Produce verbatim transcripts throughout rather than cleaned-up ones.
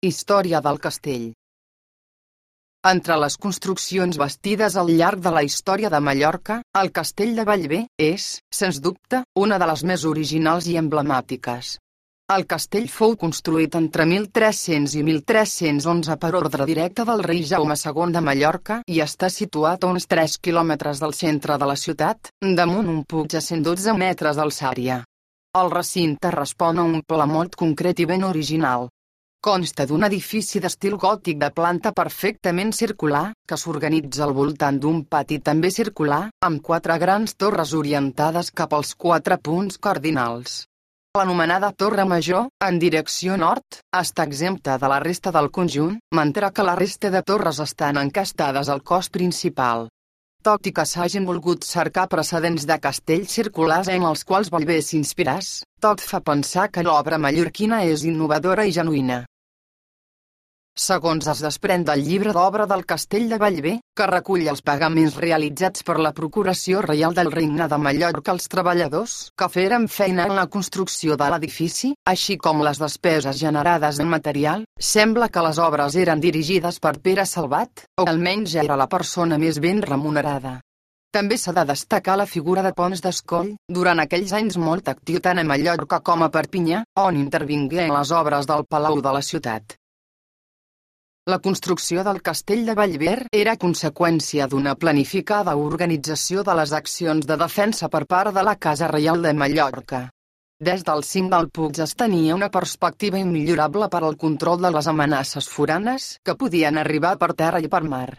Història del castell. Entre les construccions bastides al llarg de la història de Mallorca, el castell de Bellver és, sens dubte, una de les més originals i emblemàtiques. El castell fou construït entre mil tres-cents i mil tres-cents onze per ordre directe del rei Jaume segon de Mallorca i està situat a uns tres quilòmetres del centre de la ciutat, damunt un puig a cent dotze metres d'alçària. El recinte respon a un pla molt concret i ben original. Consta d'un edifici d'estil gòtic de planta perfectament circular, que s'organitza al voltant d'un pati també circular, amb quatre grans torres orientades cap als quatre punts cardinals. L'anomenada Torre Major, en direcció nord, està exempta de la resta del conjunt, mentre que la resta de torres estan encastades al cos principal. Tot i que s'hagin volgut cercar precedents de castells circulars en els quals Bellver s'inspirés, tot fa pensar que l'obra mallorquina és innovadora i genuïna. Segons es desprèn del llibre d'obra del Castell de Bellver, que recull els pagaments realitzats per la Procuració Reial del Regne de Mallorca als treballadors que feren feina en la construcció de l'edifici, així com les despeses generades en material, sembla que les obres eren dirigides per Pere Salvat, o almenys era la persona més ben remunerada. També s'ha de destacar la figura de Pons d'Escoll, durant aquells anys molt actiu tant a Mallorca com a Perpinyà, on intervingué en les obres del Palau de la ciutat. La construcció del castell de Bellver era conseqüència d'una planificada organització de les accions de defensa per part de la Casa Reial de Mallorca. Des del cim del puig es tenia una perspectiva immillorable per al control de les amenaces foranes que podien arribar per terra i per mar.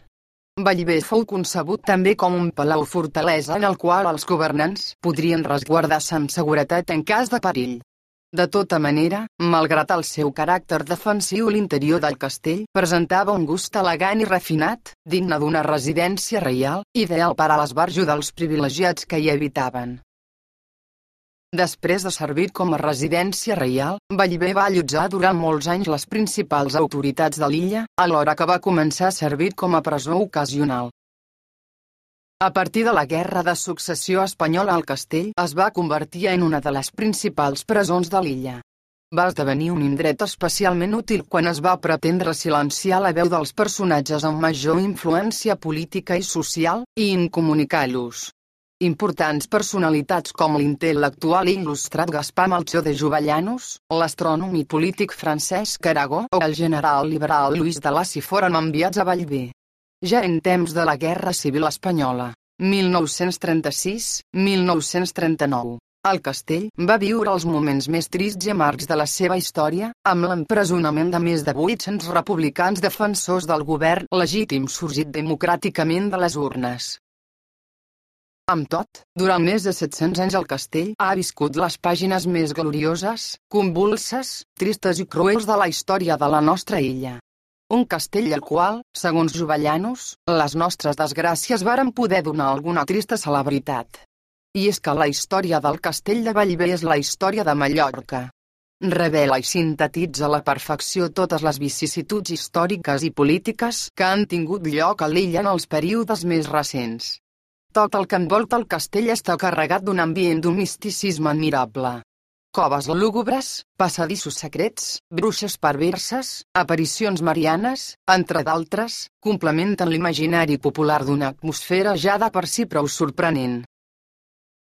Bellver fou concebut també com un palau-fortalesa en el qual els governants podrien resguardar-se amb seguretat en cas de perill. De tota manera, malgrat el seu caràcter defensiu, l'interior del castell presentava un gust elegant i refinat, digne d'una residència reial, ideal per a l'esbarjo dels privilegiats que hi habitaven. Després de servir com a residència reial, Bellver va allotjar durant molts anys les principals autoritats de l'illa, alhora que va començar a servir com a presó ocasional. A partir de la Guerra de Successió Espanyola, el castell es va convertir en una de les principals presons de l'illa. Va esdevenir un indret especialment útil quan es va pretendre silenciar la veu dels personatges amb major influència política i social, i incomunicar-los. Importants personalitats com l'intel·lectual i il·lustrat Gaspar Melchor de Jovellanos, l'astrònom i polític Francesc Aragó o el general liberal Lluís de Lacy foren enviats a Bellver. Ja en temps de la Guerra Civil Espanyola, mil nou-cents trenta-sis a mil nou-cents trenta-nou, el castell va viure els moments més trists i amargs de la seva història, amb l'empresonament de més de vuit-cents republicans defensors del govern legítim sorgit democràticament de les urnes. Amb tot, durant més de set-cents anys el castell ha viscut les pàgines més glorioses, convulses, tristes i cruels de la història de la nostra illa. Un castell al qual, segons Jovellanos, les nostres desgràcies varen poder donar alguna trista celebritat. I és que la història del castell de Bellver és la història de Mallorca. Revela i sintetitza a la perfecció totes les vicissituds històriques i polítiques que han tingut lloc a l'illa en els períodes més recents. Tot el que envolta el castell està carregat d'un ambient d'un misticisme admirable. Coves lúgubres, passadissos secrets, bruixes perverses, aparicions marianes, entre d'altres, complementen l'imaginari popular d'una atmosfera ja de per si prou sorprenent.